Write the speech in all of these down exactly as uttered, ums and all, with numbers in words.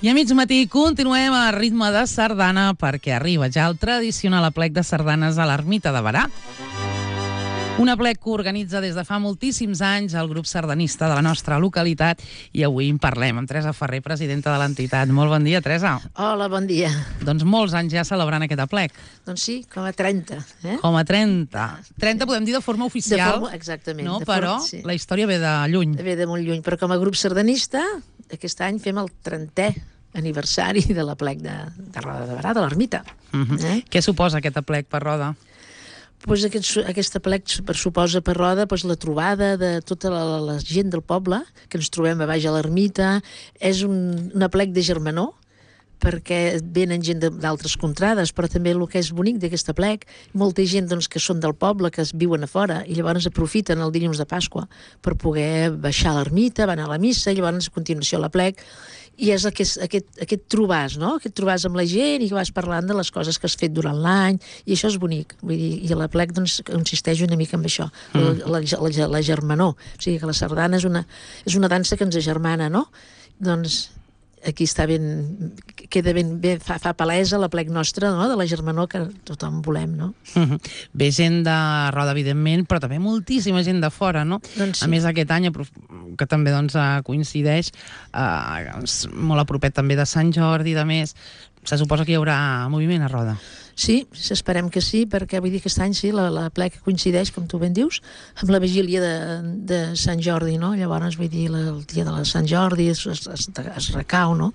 I a mig matí continuem a ritme de sardana perquè arriba ja el tradicional aplec de sardanes a l'Ermita de Berà. Un aplec que organitza des de fa moltíssims anys el grup sardanista de la nostra localitat i avui en parlem amb Teresa Ferrer, presidenta de l'entitat. Molt bon dia, Teresa. Hola, bon dia. Doncs molts anys ja celebrant aquest aplec. Doncs sí, com a trenta. Eh? Com a trenta. trenta podem dir de forma oficial. De forma, exactament. No? De Però forma, sí. La història ve de lluny. Ve de molt lluny, però com a grup sardanista, aquest any fem el trentè aniversari de l'aplec de, de Roda de Berà, de l'Ermita. Uh -huh. eh? Què suposa aquest aplec per Roda? Pues aquest, aquest aplec suposa per Roda pues, la trobada de tota la, la gent del poble, que ens trobem a baix a l'Ermita. És un, un aplec de germanor, perquè venen gent d'altres contrades, però també el que és bonic d'aquest aplec, molta gent doncs, que són del poble, que es viuen a fora, i llavors aprofiten el dilluns de Pasqua per poder baixar a l'ermita, van a la missa, i llavors a continuació l'aplec, i és aquest, aquest, aquest trobàs, no? Aquest trobàs amb la gent i que vas parlant de les coses que has fet durant l'any, i això és bonic. Vull dir, i l'aplec doncs, consisteix una mica en això, mm. la, la, la, la germanor. O sigui que la sardana és una, és una dansa que ens agermana, no? Doncs aquí està ben, queda ben bé, fa, fa palesa l'aplec nostre, no? De la germanor que tothom volem, no? Uh -huh. Ve gent de Roda, evidentment, però també moltíssima gent de fora, no? Doncs sí. A més, aquest any, que també doncs, coincideix, eh, molt a propet també de Sant Jordi, de més, se suposa que hi haurà moviment a Roda. Sí, esperem que sí, perquè vull dir que aquest any sí, l'aplec coincideix, com tu ben dius, amb la vigília de, de Sant Jordi, no? Llavors, vull dir, la, el dia de la Sant Jordi es, es, es, es recau, no?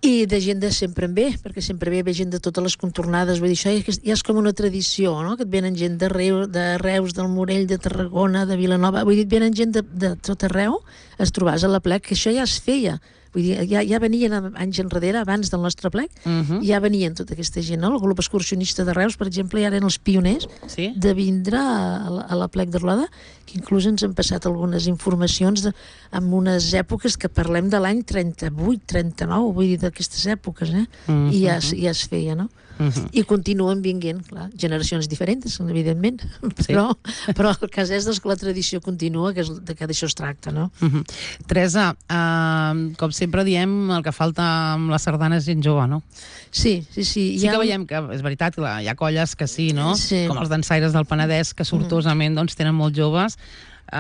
I de gent de sempre en ve, perquè sempre ve, ve gent de totes les contornades, vull dir, això ja, ja és com una tradició, no? Que et venen gent de, Reu, de Reus, del Morell, de Tarragona, de Vilanova, vull dir, et venen gent de, de tot arreu, es trobàs a l'aplec, que això ja es feia. Vull dir, ja, ja venien anys enrere, abans del nostre aplec, uh -huh. ja venien tota aquesta gent, no? El grup excursionista de Reus, per exemple, ja eren els pioners sí? de vindre a, a l'aplec de Roda, que inclús ens han passat algunes informacions de, en unes èpoques que parlem de l'any trenta-vuit, trenta-nou, vull dir, d'aquestes èpoques, eh? Uh -huh. I ja, ja es feia, no? Uh -huh. I continuen vinguent, clar, generacions diferents, evidentment, sí. però, però el cas és doncs, que la tradició continua, que, és, de que d'això es tracta, no? Uh -huh. Teresa, uh, com sempre diem, el que falta amb la sardana és gent jove, no? Sí, sí, sí. Sí ha... que veiem que, és veritat, hi ha colles que sí, no? Sí. Com els dansaires del Penedès, que sortosament doncs, tenen molts joves,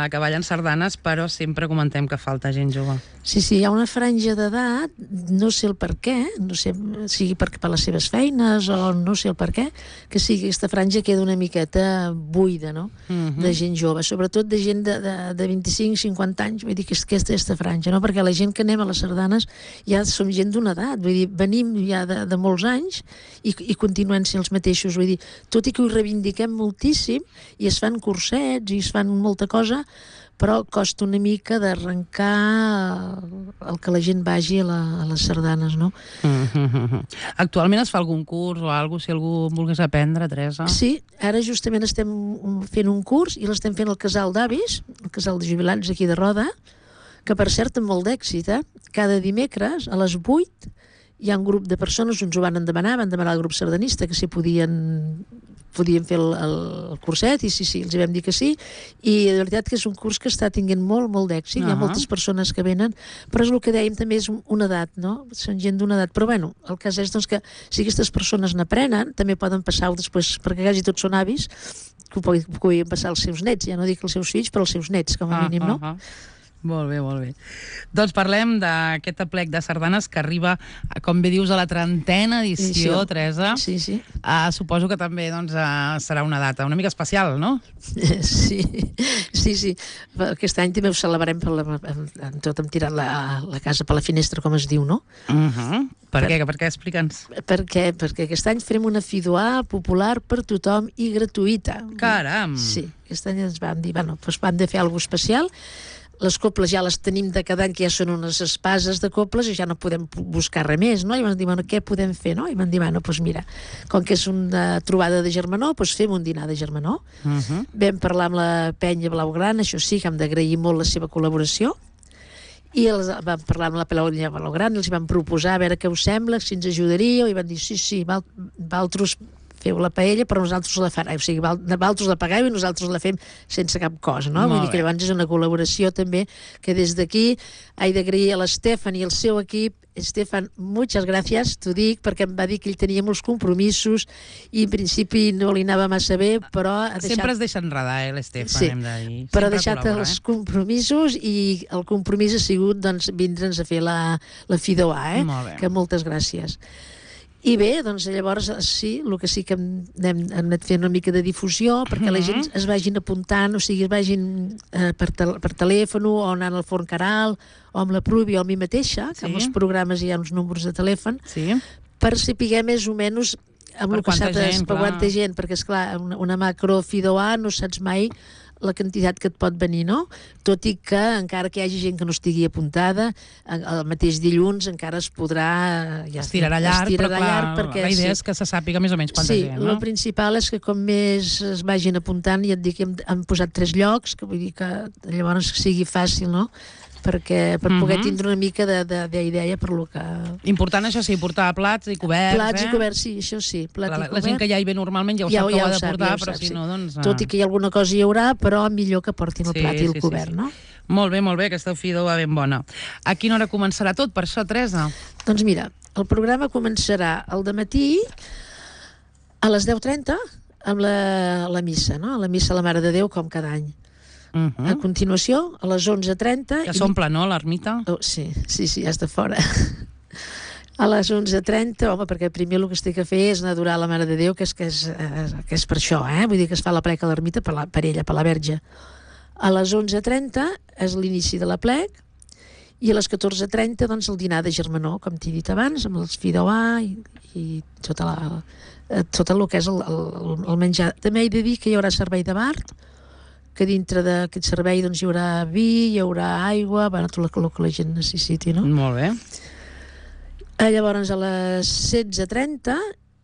que ballen sardanes, però sempre comentem que falta gent jove. Sí, sí, hi ha una franja d'edat, no sé el per què, no sé, sigui per, per les seves feines o no sé el per què, que sigui aquesta franja queda una miqueta buida, no?, uh-huh. de gent jove, sobretot de gent de, de, de vint-i-cinc cinquanta anys, vull dir que és aquesta, aquesta franja, no?, perquè la gent que anem a les sardanes ja som gent d'una edat, vull dir, venim ja de, de molts anys i, i continuem sent els mateixos, vull dir, tot i que ho reivindiquem moltíssim i es fan cursets i es fan molta cosa, però costa una mica d'arrencar el que la gent vagi a, la, a les sardanes, no? Mm-hmm. Actualment es fa algun curs o alguna cosa, si algú volgués aprendre, Teresa? Sí, ara justament estem fent un curs i l'estem fent al casal d'avis, el casal de jubilats aquí de Roda, que per cert amb molt d'èxit, eh? Cada dimecres a les vuit hi ha un grup de persones, uns ho van demanar, van demanar al grup sardanista que si podien... podíem fer el, el curset i sí, sí, els vam dir que sí i de veritat que és un curs que està tinguent molt, molt d'èxit, uh-huh. Hi ha moltes persones que venen, però és el que dèiem també és una edat, no? Són gent d'una edat, però bueno, el cas és doncs, que si aquestes persones n'aprenen, també poden passar-ho després, perquè quasi tots són avis, que ho puguin passar als seus nets, ja no dic els seus fills, però els seus nets, com a mínim, no? Uh-huh. Molt bé, molt bé. Doncs parlem d'aquest aplec de sardanes que arriba, com bé dius, a la trentena edició, sí, Teresa. Sí, sí. Uh, suposo que també doncs, uh, serà una data una mica especial, no? Sí, sí, sí. Aquest any també ho celebrem per la, amb tot hem tirat la, la casa per la finestra, com es diu, no? Uh-huh. Per, per què? Per què? Explica'ns. Per què? Perquè aquest any farem una fidoà popular per tothom i gratuïta. Caram! Sí, aquest any ens vam dir, bueno, doncs vam de fer alguna cosa especial. Les coples ja les tenim de cada any, que ja són unes espases de coples i ja no podem buscar res més, no? I vam dir, bueno, què podem fer, no? I vam dir, bueno, doncs mira, com que és una trobada de germanor, doncs fem un dinar de germanor. Uh-huh. Vam parlar amb la penya Blaugrana, això sí, que hem d'agrair molt la seva col·laboració, i els, vam parlar amb la penya Blaugrana, els vam proposar a veure què us sembla, si ens ajudaríeu, i van dir, sí, sí, val, valtros feu la paella, però nosaltres la farem. O sigui, vosaltres la pagueu i nosaltres la fem sense cap cost, no? Molt Vull dir que bé. llavors és una col·laboració també que des d'aquí he d'agrair a l'Estefan i el seu equip. Estefan, muchas gracias, t'ho dic, perquè em va dir que ell tenia molts compromisos i en principi no li anava massa bé, però ha deixat... Sempre es deixa enredar, eh, l'Estefan, Sí, hem de dir. però ha Sempre deixat col·labora, els eh? compromisos i el compromís ha sigut doncs, vindre'ns a fer la, la Fidoà, eh? Molt bé. Que moltes gràcies. I bé, doncs llavors sí, el que sí que hem, hem, hem anat fent una mica de difusió perquè la gent es vagin apuntant, o sigui, es vagin eh, per, tel per telèfon o anant al Forn Caral o amb la Pruvi o amb mi mateixa, que Sí. amb els programes hi ha uns números de telèfon, Sí? per saber més o menys amb Per el que quanta s'ha de... gent, per clar. quanta gent, perquè esclar, una, una macro Fidoà no saps mai la quantitat que et pot venir, no? Tot i que encara que hi hagi gent que no estigui apuntada, el el mateix dilluns encara es podrà... Ja Estirarà llarg, estirarà però clar, llarg perquè, la idea sí. és que se sàpiga més o menys quanta Sí, gent, el no? principal és que com més es vagin apuntant, i et dic que hem, hem posat tres llocs, que vull dir que llavors sigui fàcil, no? Perquè, per poder Mhm. tindre una mica d'idea per lo que... Important, això sí, portar plats i coberts, Plats eh? i coberts, sí, això sí. Plat La, i la, cobert. la gent que ja hi ve normalment ja ho Ja sap ho- que ja ho ha ho de sap, portar, ja ho però sap, si sí. no, doncs... ah. Tot i que hi ha alguna cosa hi haurà, però millor que portin el Sí, plat i el sí, sí, cobert, sí. no? Molt bé, molt bé, aquesta Fidoà ben bona. A quina hora començarà tot, per això, Teresa? Doncs mira, el programa començarà al dematí a les deu trenta amb la, la missa, no? La missa a la Mare de Déu, com cada any. Uh A -huh. continuació, a les onze trenta... Ja s'omple, no, l'ermita? Oh, sí, sí, sí, ja està fora. A les onze trenta, home, perquè primer el que es té que fer és anar a adorar la Mare de Déu, que és, que és, eh, que és per això, eh? Vull dir que es fa la plec a l'ermita per, la, per ella, per la Verge. A les onze trenta és l'inici de la plec i a les catorze trenta doncs, el dinar de germanor, com t'he dit abans, amb els Fidoà i, i tota la, eh, tot el que és el, el, el menjar. També he de dir que hi haurà servei de bar, que dintre d'aquest servei doncs, hi haurà vi, hi haurà aigua, bueno, tot el que la gent necessiti, no? Molt bé. Eh, Llavors, a les setze trenta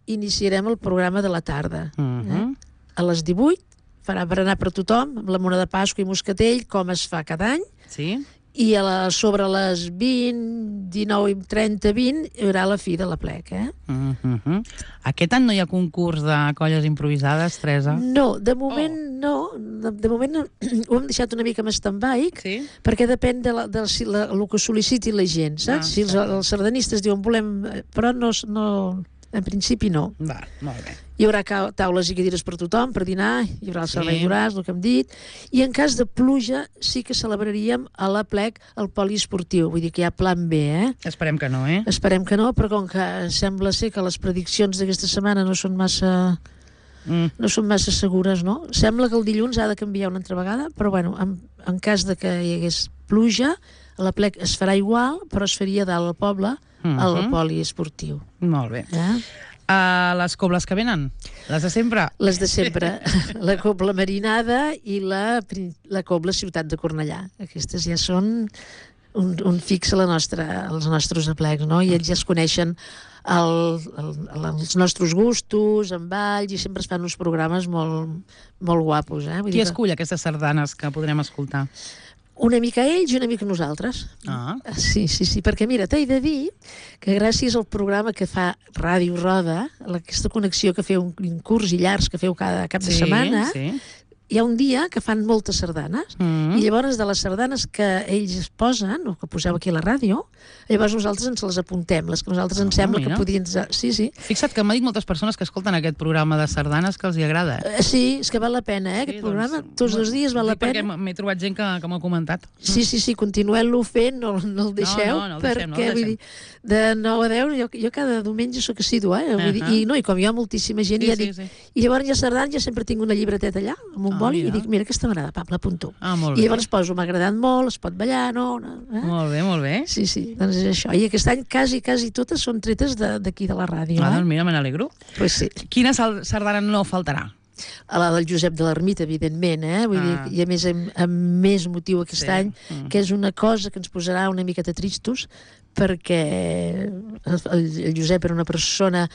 iniciarem el programa de la tarda. Uh -huh. eh? A les divuit farà per anar per tothom, amb la mona de Pasqua i moscatell, com es fa cada any, Sí? i a la, sobre les vint, dinou i trenta, vint, hi haurà la fi de la plec, eh? Uh -huh. Aquest any no hi ha concurs de colles improvisades, Teresa? No, de moment oh. no. De, de moment no, ho hem deixat una mica en stand-by, Sí? perquè depèn de, la, de si la, el que sol·liciti la gent, saps? Ah, si els, els sardanistes diuen volem... Però no, no, en principi no. Va, molt bé. Hi haurà ca- taules i cadires per tothom, per dinar, hi haurà el servei Sí. d'horars, el que hem dit, i en cas de pluja sí que celebraríem a la plec el poliesportiu, vull dir que hi ha plan B, eh? Esperem que no, eh? Esperem que no, però com que sembla ser que les prediccions d'aquesta setmana no són massa... Mm. no són massa segures, no? Sembla que el dilluns ha de canviar una altra vegada, però bueno, en, en cas de que hi hagués pluja, a la plec es farà igual, però es faria dalt al poble Mhm. al poliesportiu. Molt bé. Eh? Uh, les cobles que venen? Les de sempre? Les de sempre, la cobla marinada i la, prin- la cobla ciutat de Cornellà. Aquestes ja són un, un fix a la nostra, als nostres aplecs, no? I ells ja es coneixen el, el, els nostres gustos, en balls, i sempre es fan uns programes molt, molt guapos. Eh? Vull Qui dir que escull aquestes sardanes que podrem escoltar? una mica ells i una mica nosaltres. Ah. Sí, sí, sí, perquè mira, t'he de dir que gràcies al programa que fa Ràdio Roda, aquesta connexió que feu, un curs i llargs que feu cada cap de Sí, setmana, sí. hi ha un dia que fan moltes sardanes, Mm. i llavors de les sardanes que ells es posen, o que poseu aquí a la ràdio, llavors nosaltres ens les apuntem, les que nosaltres ens Ah, sembla mira. que podien... Sí, sí. Fixa't que m'ha dit moltes persones que escolten aquest programa de sardanes que els hi agrada. Eh, Sí, és que val la pena, eh, aquest programa. Tots els dies val la dic perquè pena. m- m'he trobat gent que, que m'ho ha comentat. Sí, sí, sí, continuem-lo fent, no, no el deixeu, no, no el deixem, no el perquè, vull deixem. dir, de nou a deu, jo, jo cada diumenge sóc assidua, eh? Vull dir, Ahà. i, no, i com hi ha moltíssima gent, Sí, ja sí, dic, sí. i llavors ja sardanes, ja sempre tinc una llibreteta allà, amb un Ah, boli, mira. i dic, mira, aquesta m'agrada, pap, l'apunto. Ah, molt I bé. llavors poso, m'ha agradat molt, es pot ballar, no? no eh? Molt bé, molt bé. Sí, sí, doncs és això. I aquest any quasi, quasi totes són tretes de- d'aquí de, de la ràdio. Ah, Eh? doncs mira, me n'alegro. Pues sí. Quina sal- sardana no faltarà? A la del Josep de l'Ermita, evidentment, eh? Vull Ah. dir, i a més amb, amb més motiu aquest Sí. any, Mm. que és una cosa que ens posarà una miqueta tristos, perquè el, el Josep era una persona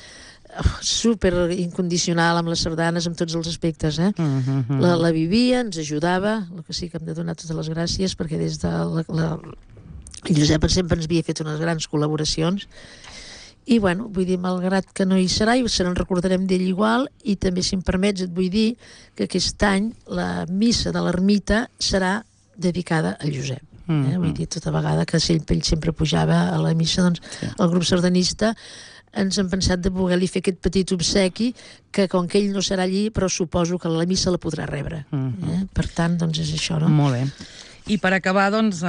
super incondicional amb les sardanes, amb tots els aspectes, eh? Mm -hmm. La, la vivia, ens ajudava, el que sí que hem de donar totes les gràcies, perquè des de la, la, el Josep sempre ens havia fet unes grans col·laboracions, I, bueno, vull dir, malgrat que no hi serà, i se n'en recordarem d'ell igual, i també, si em permets, et vull dir que aquest any la missa de l'ermita serà dedicada al Josep. Mm-hmm. Eh? Vull dir, tota vegada que ell sempre pujava a la missa, doncs sí. El grup sardanista ens hem pensat de poder-li fer aquest petit obsequi que, com que ell no serà allí, però suposo que la missa la podrà rebre. Mm-hmm. Eh? Per tant, doncs és això, no? Molt bé. I per acabar, doncs,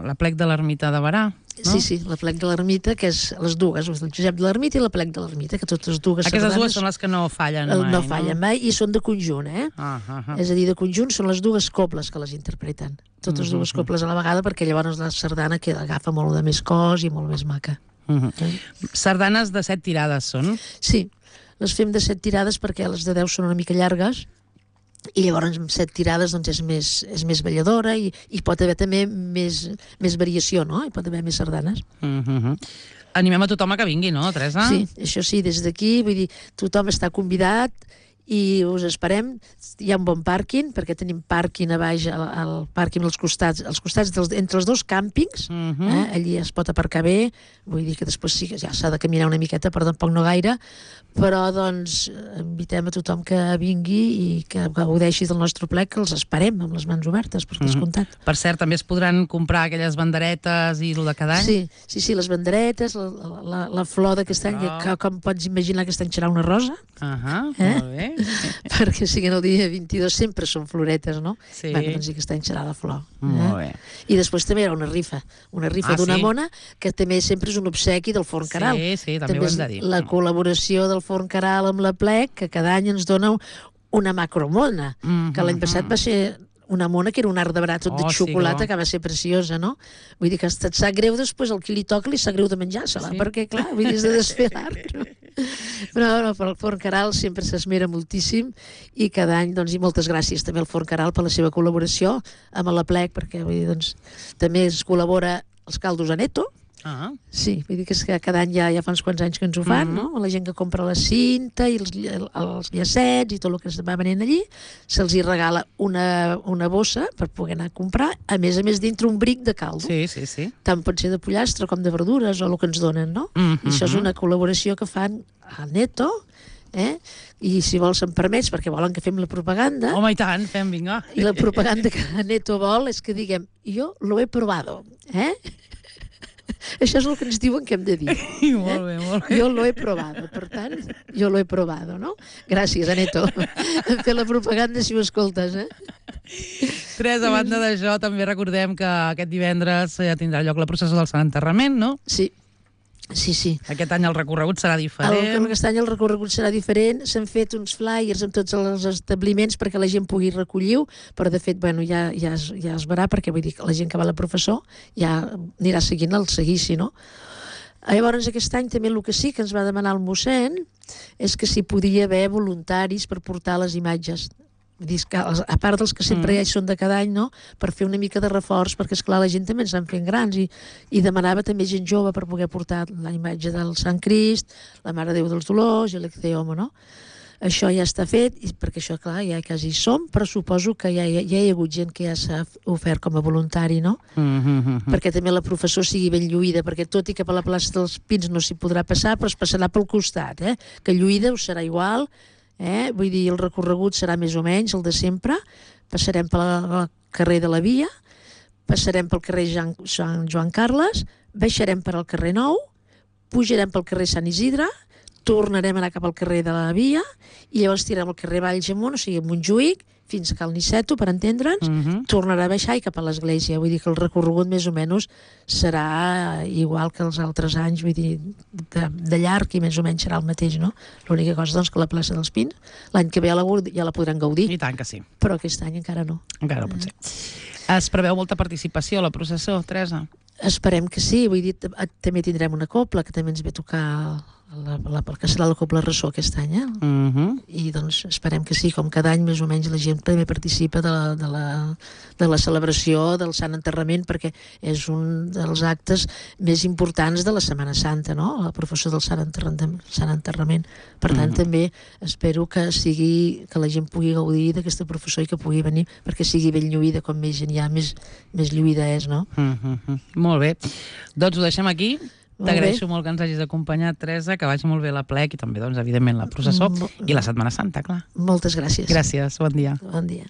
l'aplec de l'ermita de Berà. No? Sí, sí, l'aplec de l'ermita, que és les dues, el Josep de l'ermita i l'aplec de l'ermita, que totes dues Aquestes sardanes... dues són les que no fallen mai, no? fallen mai, i són de conjunt, eh? Ah, ah, ah. És a dir, de conjunt són les dues cobles que les interpreten. Totes dues Mm-hmm. cobles a la vegada, perquè llavors la sardana queda, agafa molt de més cos i molt més maca. Mm-hmm. Eh? Sardanes de set tirades són? Sí, les fem de set tirades perquè les de deu són una mica llargues, i llavors amb set tirades doncs és més, és més balladora i, i pot haver també més, més variació, no? Hi pot haver més sardanes. Mm-hmm. Animem a tothom a que vingui, no, Teresa? Sí, això sí, des d'aquí, vull dir, tothom està convidat i us esperem. Hi ha un bon pàrquing, perquè tenim pàrquing a baix, al, al pàrquing als costats, als costats dels, entre els dos càmpings, Mm-hmm. eh? Allí es pot aparcar bé, vull dir que després sí que ja s'ha de caminar una miqueta, però tampoc no gaire, però doncs invitem a tothom que vingui i que gaudeixi del nostre plec, que els esperem amb les mans obertes, per descomptat. Mm-hmm. Per cert, també es podran comprar aquelles banderetes i el de cada any? Sí, sí, sí, les banderetes, la, la, la flor d'aquest any, Oh. que, com pots imaginar, aquest any serà una rosa. Ahà, Eh? molt bé. Perquè siguin el dia vint-i-dos sempre són floretes, no? Sí. Bueno, doncs aquest any serà de flor. Molt bé. I després també hi ha una rifa, una rifa Ah, d'una sí? mona, que també sempre és un obsequi del Forn Caral. Sí, sí, també ho hem de dir. És la col·laboració del Forn Caral amb la Plec, que cada any ens dona una macromona, Mm-hmm. que l'any passat va ser una mona que era un art de brat tot Oh, de sí, xocolata, que bo. que va ser preciosa, no? Vull dir que et sap greu després, el qui li toca li sap greu de menjar-se-la, Sí? perquè clar, vull dir, és de desfer l'art. Però no, per el Forn Caral sempre s'esmera moltíssim i cada any, doncs, i moltes gràcies també al Forn Caral per la seva col·laboració amb la Plec, perquè vull dir, doncs, també es col·labora els caldos Aneto. Ah, Sí, vull dir que, és que cada any ja, ja fa uns quants anys que ens ho fan, Mhm. no? La gent que compra la cinta i els, els llacets i tot el que es va venent allí, se'ls hi regala una, una bossa per poder anar a comprar, a més a més dintre un bric de caldo. sí, sí, sí. Tant pot ser de pollastre com de verdures o el que ens donen, no? Mhm. I això és una col·laboració que fan a Neto, eh? I si vols em permets, perquè volen que fem la propaganda, Home, i tant, fem, vinga. i la propaganda que Neto vol és que diguem, jo lo he probado, eh? Això és el que ens diuen que hem de dir. Molt bé, molt bé. Jo lo he probado, per tant, jo lo he probado, no? Gràcies, Aneto. Hem fet la propaganda si ho escoltes, eh? Tres, a banda d'això, també recordem que aquest divendres ja tindrà lloc la processó del Sant Enterrament, no? Sí, sí, sí. Aquest any el recorregut serà El, diferent. aquest any el recorregut serà diferent, s'han fet uns flyers amb tots els establiments perquè la gent pugui recollir-ho, però de fet, bueno, ja, ja, es, ja es verà, perquè vull dir que la gent que va a la professor ja anirà seguint el seguici, no? Llavors, aquest any també el que sí que ens va demanar el mossèn és que si podia haver voluntaris per portar les imatges. Vull dir, que, a part dels que sempre mm. ja hi són de cada any, no? Per fer una mica de reforç, perquè esclar la gent també ens van fent grans i, i demanava també gent jove per poder portar la imatge del Sant Crist, la Mare de Déu dels Dolors i l'Ecceomo, no? Això ja està fet, i perquè això, clar, ja quasi hi som, però suposo que ja, ja, ja hi ha hagut gent que ja s'ha ofert com a voluntari, no? Mm -hmm. Perquè també la professor sigui ben lluïda, perquè tot i que per la plaça dels Pins no s'hi podrà passar, però es passarà pel costat, eh? Que lluïda ho serà igual, eh? Vull dir, el recorregut serà més o menys el de sempre, passarem pel carrer de la Via, passarem pel carrer Jean, Sant Joan Carles, baixarem per al carrer Nou, pujarem pel carrer Sant Isidre, tornarem a anar cap al carrer de la Via i llavors tirarem al carrer Valls amunt, o sigui, a Montjuïc, fins a Cal Niceto, per entendre'ns, Mm -hmm. tornarà a baixar i cap a l'església. Vull dir que el recorregut més o menys serà igual que els altres anys, vull dir, de, de llarg i més o menys serà el mateix, no? L'única cosa, doncs, que la plaça dels Pins, l'any que ve ja la, ja la podran gaudir, I tant que sí. però aquest any encara no. Encara no pot ser. Es preveu molta participació a la processó, Teresa? Esperem que sí, vull dir, també tindrem una copla, que també ens ve tocar la, la, la, que serà la Copla Ressó aquest any, eh? Mm -hmm. I doncs esperem que sí, com cada any més o menys la gent també participa de la, de la, de la celebració del Sant Enterrament, perquè és un dels actes més importants de la Setmana Santa, no? La professó del Sant Enterrament. Sant Enterrament. Per tant, Mm-hmm. també espero que sigui que la gent pugui gaudir d'aquesta professó i que pugui venir, perquè sigui ben lluïda, com més gent hi ha, més, més lluïda és, no? Mm -hmm. Molt bé. Doncs ho deixem aquí. T'agraeixo molt que ens hagis acompanyat, Teresa, que vagi molt bé la plec i també, doncs, evidentment, la processó i la Setmana Santa, clar. Moltes gràcies. Gràcies, bon dia. Bon dia.